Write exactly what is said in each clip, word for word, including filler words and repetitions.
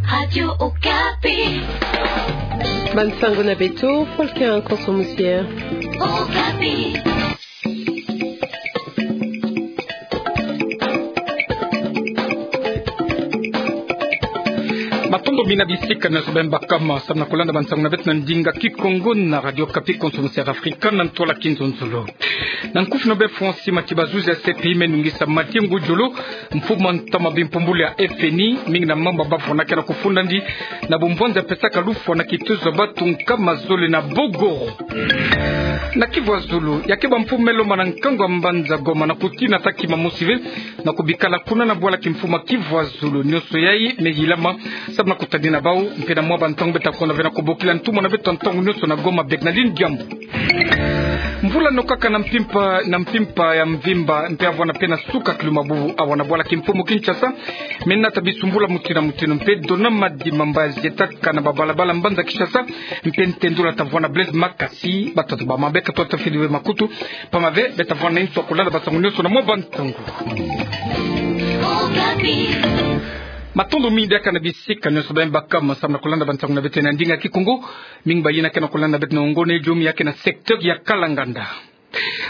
Radio Okapi. Bansango na beto, Volcan Konso Musier. Okapi. Matondo mingi na bisika nyonso bima bakama, samu na kulanda bansango na beto na ndinga Kikongo na Radio Okapi, Konso Musier Afrika, na ntwala kinzonzolo. Na nkufi na bê Francis Mati, bazuzi ya C P I me nungisa Mathieu Ngudjolo, mfumu a ntama bimpumbulu ya F N I, mingi na mambu bavwanaka na kufunda ndi, na bumvwanza pesaka lufwa na kitezo ya batu nkama zole na Bogoro. Na Kivu ya Zulu, ya ke bamfumu me lomba na nkangu ya mbanza Goma na kutina taki mamosi ve, na kubikala kuna na bwala kimfumu a Kivu ya Zulu, nyonso yayi me yilama, samu na kutadina bau, mpe na mwa bantangu beta kwenda ve na kubokila ntumwa na beto ntangu nyonso na Goma, Bernardine Diambu. Mvula nokaka na mpimpa, na mpimpa ya mvimba, mpe avwanda mpe na suka kilumbu bubu awa na bwala kimfumu Kinshasa, me nata bisumbula mutindu na mutindu, mpe dona madi mamba zietaka na babalabala mbanza Kinshasa, mpe ntendula tavwanda Blaise Makasi, batatu ba mabeka tota fidi ve makutu, pamba ve, beta vwanda na inso ya kulanda bansango nyonso na mwa bantangu. Matondo mingi diaka na bisika nyonso bima bakama, samu na kulanda bansango na beto na ndinga Kikongo, mingi bayina ke na kulanda beto na ngone jomi ya ke na secteur ya Kalanganda.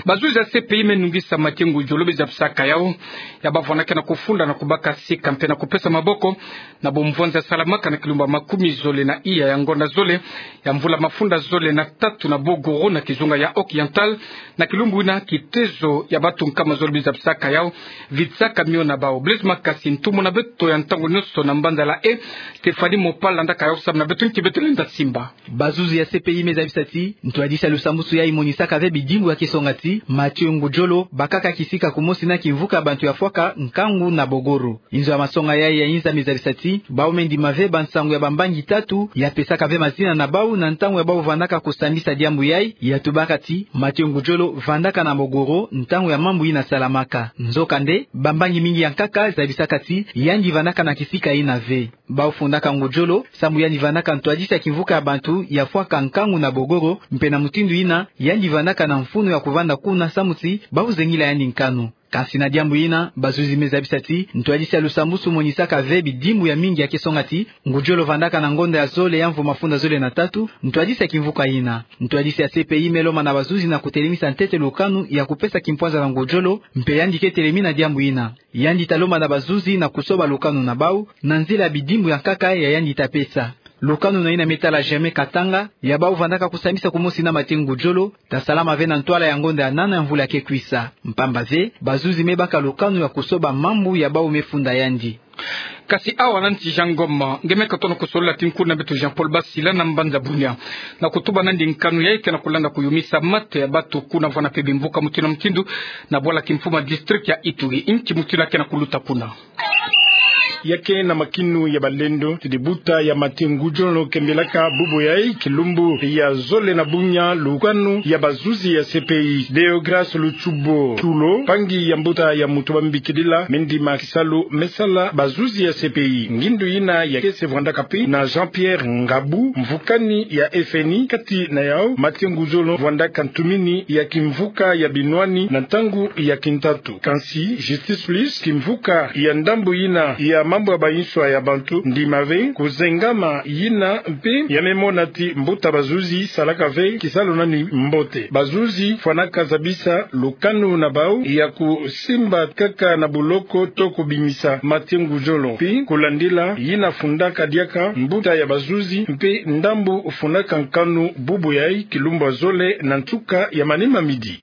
Bazuzi ya C P I me nungisa Mathieu Ngudjolo bizabisaka yau, ya bavwanaka na kufunda na kubaka sika mpe na kupesa maboko, na bumvwanza salamaka na kilumbu makumi zole na iya ya ngonda zole, ya mvula mafunda zole na tatu na Bogoro na kizunga ya Occidental, na kilumbu ina kitezo ya batu nkama zole bizabisaka yau, vitsaka mio na bau. Blaise Makasi, ntumwa na beto ya ntangu nyonso na mbanza la E, Stéphanie Mopal landaka yau samu na beto, nki beto lenda simba. Bazuzi ya C P I me zabisa ti, ntwadisi ya lusambusu yayi monisaka ve bidimbu ya ke songa ti, Mathieu Ngudjolo bakaka kisika kumosi na kimvuka ya bantu ya fwaka nkangu na Bogoro. Inzo ya masonga yayi ya inza me zabisa ti, bau me ndima ve bansangu ya bambangi tatu, ya pesaka ve mazina na bau na ntangu ya bau vandaka kusambisa diambu yayi, ya tubaka ti, Mathieu Ngudjolo vandaka na Bogoro, ntangu ya mambu ina salamaka. Nzokande, bambangi mingi ya nkaka zabisaka ti, yandi vandaka na kisika ina ve. Bau fundaka Ngudjolo, samu yandi vandaka ntwadisi ya kimvuka ya bantu ya fwaka nkangu na Bogoro, mpe na mutindu ina, yandi vandaka na mfunu ya kuvanda kuna samu ti bau zengila yandi nkanu. Kansi na diambu ina, bazuzi me zabisa ti, ntwadisi ya lusambusu monisaka ve bidimbu ya mingi ya ke songa ti, Ngudjolo vandaka na ngonda ya zole ya mvu mafunda zole na tatu, ntwadisi ya kimvuka ina. Ntwadisi ya C P I me lomba na bazuzi na kutelemisa ntete lukanu ya kupesa kimpwanza na Ngudjolo, mpe yandi ke telemi na diambu ina. Yandi ta lomba na bazuzi na kusoba lukanu na bau, na nzila ya bidimbu ya nkaka ya yandi ta pesa. Lukanu na ina me tala Germain Katanga, ya bau vandaka kusambisa kumosi na Mathieu Ngudjolo, ta salama ve na ntwala ya ngonda ya nana ya mvula ke kwisa. Mpamba ve, bazuzi me baka lukanu ya kusoba mambu ya bau me funda yandi. Kasi awa na nsi ya Ngoma, nge me katono kusolola ti nkuna beto Jean-Paul Basila na mbanza Bunia, na kutuba nandi nkanu yayi ke na kulanda kuyumisa mate ya batu kuna vwanda mpe bimvuka mutindu na mutindu, na bwala kimfumu ya district ya Ituri, nki mutindu ke na kuluta kuna. Ya ke na makinu ya balendo, ti dibuta ya Mathieu Ngudjolo kembilaka bubu yayi kilumbu ya zole na bunya lukanu ya bazuzi ya C P I. Deograce Lutsubo Tulo, mpangi ya mbuta ya muntu bambikidila, me ndima kisalu me sala bazuzi ya C P I. Ngindu ina ya ke se vwandaka mpe na Jean-Pierre Ngabu, mvukani ya F N I, kati na yau Mathieu Ngudjolo vwandaka ntumini ya kimvuka ya binwani na ntangu ya kintatu. Kansi, Justice Plus, kimvuka ya ndambu ina ya mambu ya banswa ya bantu, ndima ve kuzengama ina mpe ya me mona ti mbuta bazuzi salaka ve kisalu nani mbote. Bazuzi fwanaka zabisa lukanu na bau ya kusimba kaka na buloko to kubimisa Mathieu Ngudjolo. Mpe kulandila ina fundaka diaka mbuta ya bazuzi mpe ndambu fundaka nkanu bubu yayi kilumbu ya zole na nsuka ya manima midi.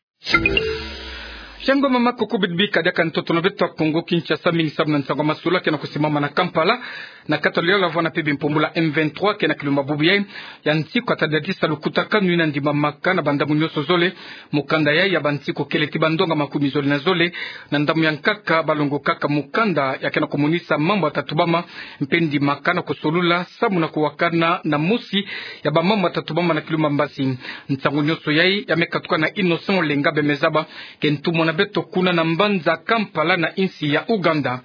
Shango mama kuku bidibika diaka ntoto na beto ya Kongo Kinshasa, mingi samu na nsangu ya masolo ke na kusimama na Kampala, na kati ya liyala vwanda mpe bimpumbulu ya M vingt-trois ke na kilumbu bubu yayi ya nsiku ya tadadisa lukutakanu ina ndimamaka na bandambu nyonso zole. Mukanda yayi ya bansiku kele ti bandonga makumi zole na zole, na ndambu ya nkaka balongokaka mukanda ya ke na kumonisa mambu ya tatubama, mpe ndimaka na kusolula samu na kuwakana na mosi ya bamambu ya tatubama na kilumbu ya mbasi. Nsangu nyonso yayi ya me katuka na Innocent Olenga, bê me zaba ke ntumwa na beto kuna na mbanza Kampala na insi ya Ouganda.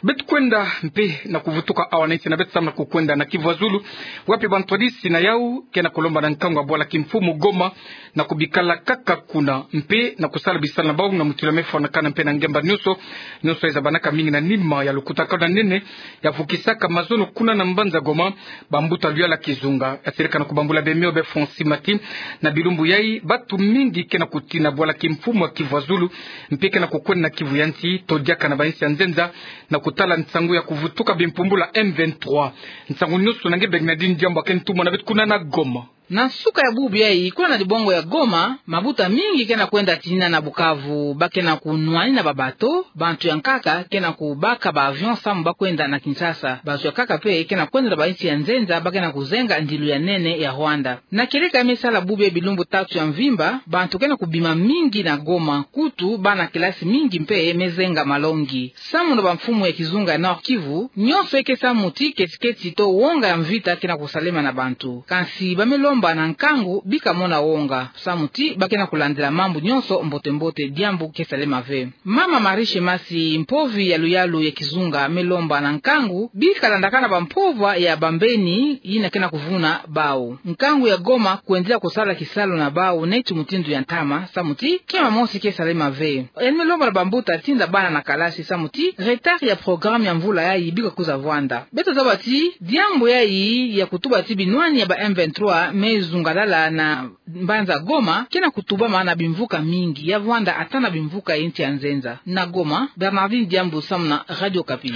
Beto kwenda mpe na kuvutuka Awa na insi na beto samu na kukwenda na Kivu ya Zulu, wapi bantwadisi na yau ke na kulomba na nkangu ya bwala kimfumu Goma na kubikala kaka kuna, mpe na kusala bisalu na bau na mutilu ya mefwanakana mpe na ngemba nyonso, nyonso yayi zabanaka mingi na nima ya lukutakanu ya nene ya vukisaka mazono kuna na mbanza Goma, bambuta luyala kizunga. Ya sirika na kubambula bemio be Francis Mati, na bilumbu yayi, batu mingi ke na kutina bwala kimfumu ya Kivu ya Zulu, mpe ke na kukwenda na Kivu ya nsi, to diaka na bainsi ya nzenza, na kutala nsangu ya kuvutuka bimpumbulu ya M vingt-trois. Nsangu nyonso na nge Bernardine Diambu, ya ke ntumwa na beto kuna na Goma. Na nsuka ya bubu yayi, kuna na dibongo ya Goma, mabuta mingi ke na kwenda tina na Bukavu, ba ke na kunwani na ba bateau, bantu ya nkaka ke na kubaka ba avion samu ba kwenda na Kinshasa, bantu ya nkaka mpe ke na kwenda na bainsi ya nzenza, ba ke na kuzenga ndilu ya nene ya Rwanda. Na kieleka ya mesala bubu yayi bilumbu tatu ya mvimba, bantu ke na kubima mingi na Goma, kutu bana kelasi mingi mpe mezenga malongi. Samu na bamfumu ya kizunga ya Nord-Kivu, nyonso eke samu ti keti-keti to wonga ya mvita ke na kusalema na bantu. Kansi ba melomba na nkangu bika mona wonga, samu ti ba ke na kulandila mambu nyonso mbote-mbote, diambu ke salema ve. Mama Marie Shemasi, mpovi ya luyalu ya kizunga, melomba na nkangu bika landakana bampovwa ya bambeni yina ke na kuvuna bau. Nkangu ya Goma kwendila kusala kisalu na bau neti mutindu ya ntama, samu ti kima mosi ke salema ve. Yandi melomba na bambuta tinda bana na kalasi samu ti retard ya programme ya mvula yayi bika kwiza vwanda. Beto zaba ti diambu yayi ya kutuba ti binwani ya ba M vingt-trois mezungalala na mbanza Goma ke na kutubama na bimvuka mingi ya vwanda ata na bimvuka ya insi ya nzenza. Na Goma, Bernardine Diambu samu na Radio Okapi.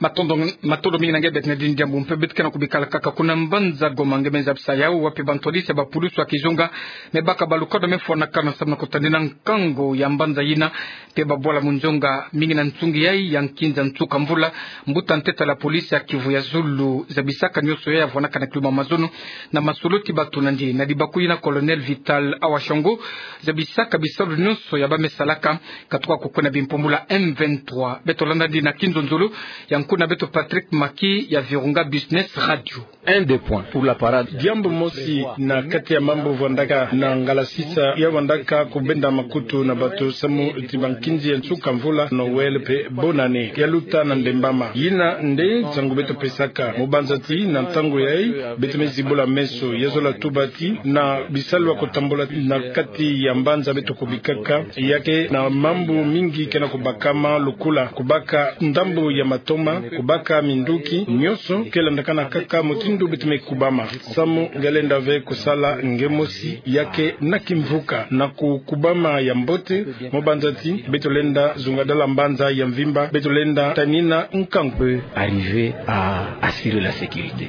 Matondo, matondo mingi na nge Bernardine Diambu. Mpe beto ke na kubikala kaka kuna mbanza Goma, nge me zabisa yau, wapi bantwadisi ya bapulusu ya kizunga mebaka balukadu mefwanakana samu na kutadina nkangu ya mbanza yina, mpe babwala munzonga mingi na nsungi yayi ya nkinza nsuka mvula. Mbuta ntete ya la police ya Kivu ya Zulu zabisaka nyonso yayi yavwanaka na kiluma mazono na masolo ti bato na ndi. Na dibaku yina, Colonel Vital Awashongo zabisaka bisalu nyonso ya ba mesalaka katuka kukwenda bimpumbulu ya M vingt-trois. Beto landa ndi na kinzonzolo ya nkuna beto Patrick Maki ya Virunga Business Radio. Un des points pour la parade. Diambu mosi na kati ya mambu vwandaka na ngalasisa ya vwandaka kubenda makutu na bato samu ti bankinzi ya nsuka mvula, Noël mpe bonne année ya luta na ndembama. Yina nde nsangu beto pesaka. Mu banza ti na ntangu yayi, beto mezibula meso, ya zola tuba ti na bisalu ya kutambula na kati ya mbanza beto kubikaka, ya ke na mambu mingi ke na kubakama, lukula kubaka ndambu ya matoma, kubaka minduki, nyonso ke landakana kaka mutindu beto mekubama. Samu nge lenda ve kusala nge mosi, ya ke na kimvuka na kukubama ya mbote, mu banza ti beto lenda zungadala mbanza ya mvimba, beto lenda tanina nkangu. Arriver à assurer la sécurité.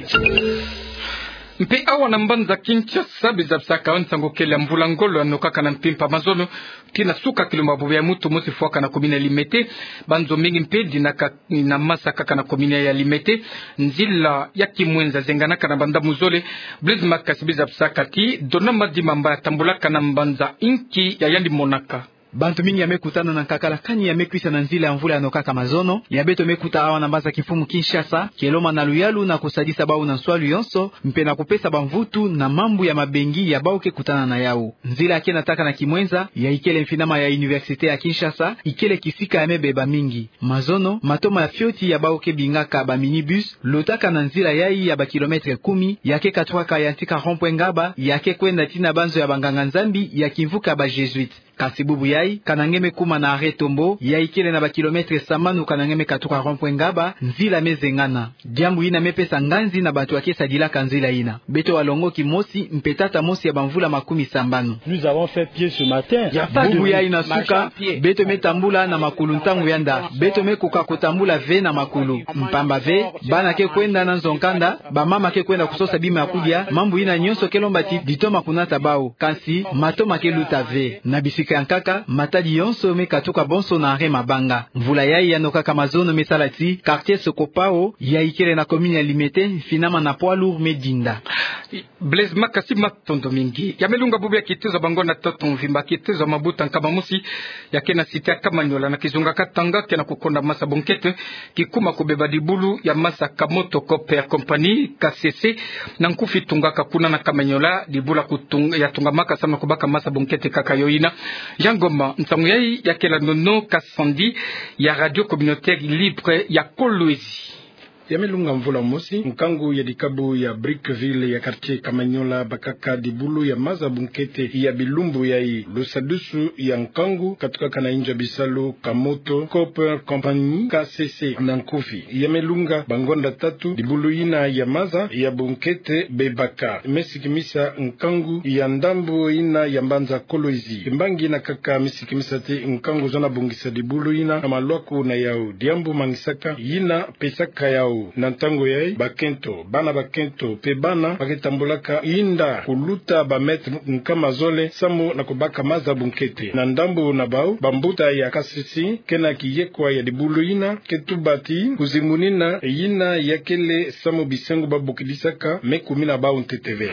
Mpe awa na mbanza Kinshasa, bizabisaka nsangu kele ya mvula ngolo yanokaka na mpimpa mazono, tii na suka kilumbu ya bubu ya mutu mosi fwaka na commune ya Limete. Banzo mingi mpe dinaka na masa kaka na commune ya Limete. Nzila ya Kimwenza zenganaka na bandambu zole. Blaise Makasi bizabisaka ti Donama Dimamba yatambulaka na mbanza inki ya yandi monaka. Bantu mingi ya mekutana na nkakala kani ya mekwisa na nzila ya mvula yanokaka mazono. Ya beto mekuta awa na mbanza kimfumu Kinshasa, keloma na luyalu na kusadisa bau na nswalu yonso, mpe na kupesa bamvutu na mambu ya mabengi ya bau ke kutana na yau. Nzila ya ke nataka na Kimwenza, ya ikele mfinama ya Université ya Kinshasa, ikele kisika ya mebeba mingi. Mazono, matoma ya fioti ya bau ke bingaka ba minibus, lotaka na nzila yayi ya ba kilomètre kumi, ya ke katukaka yantika rond-point Ngaba, ya ke kwenda tii na banzo ya banganga-Nzambi ya kimvuka ba Jésuites. Kasi bubu yayi, kana nge mekuma na arrêt Tombo, ya ikele na ba kilomètre sambanu kana nge mekatuka rond-point Ngaba, nzila mezengana. Diambu yina mepesa nganzi na bantu ya ke sadilaka nzila yina. Beto walongoki mosi, mpe tata mosi ya bamvula makumi sambanu. Nous avons fait pied ce matin. Bubu yayi na suka, beto metambula na makulu ntangu yanda. Beto mekoka kutambula ve na makulu. Mpamba ve, bana ke kwenda na nzo-nkanda, bamama ke kwenda kusosa bima ya kudia, mambu yina nyonso ke lomba ti ditoma kunata bau. Kansi, matoma ke luta ve. Na bisika ya nkaka, matadi yonso mekatuka bonso na arrêt Mabanga. Mvula yayi yanokaka mazono mesala ti quartier Sokopao, ya ikele na commune ya Limete, mfinama na poids lourd medinda. Blaise Makasi, matondo mingi. Ya melunga bubu ya kitezo ya bangonda ntoto mvimba, kitezo ya mabuta nkama mosi ya ke na cité ya Kamanyola na kizunga Katanga ke na kukonda masa bonkete, kikuma kubeba dibulu ya masa Kamoto Copper Company, K C C, na nkufi tungaka kuna na Kamanyola, dibulu ya kutung-, ya tungamaka samu na kubaka masa bonkete kaka yo yina. Ya Ngoma, nsangu yayi ya ke landono Kasandi ya Radio Communautaire Libre ya Kolwezi. Ya me lunga mvula mosi, nkangu ya dikabu ya Brickville ya quartier Kamanyola bakaka dibulu ya maza bunkete ya bilumbu yayi. Lusadusu ya nkangu katukaka na inzo ya bisalu Kamoto Copper Company, K C C na nkufi. Ya me lunga bangonda tatu dibulu yina ya maza ya bunkete bebaka. Me sikimisa nkangu ya ndambu yina ya mbanza Kolwezi. Kimbangi yina kaka me sikimisa ti nkangu zona bungisa dibulu yina na malwaku na yau. Diambu mangisaka yina pesaka yau na ntangu yayi bakento, bana bakento pe bana ba ke tambulaka inda kuluta ba mètre nkama zole samu na kubaka maza bunkete. Na ndambu na bau, bambuta ya K C C ke na kiyekwa ya dibulu yina ke tuba ti kuzimunina yina ya kele samu bisengo ba bokidisaka me kumina bau ntete ve.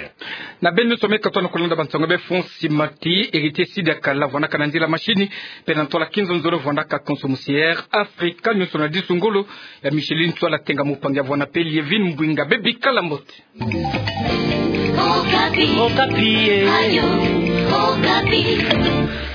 Na beno nyonso me katono kulanda bansango be, Fonsi Mati, Héritier Sidaka la vwandaka na nzila machine, pe na ntwala kinzonzolo vwandaka konso musi Air Africa, nyonso na disu ngolo ya Micheline Tswala Tenga, mupangi ya vwanda pe Lievine Mbwinga. Bebikala mbote. Okapi. Okapi, eh. Ayo, Okapi.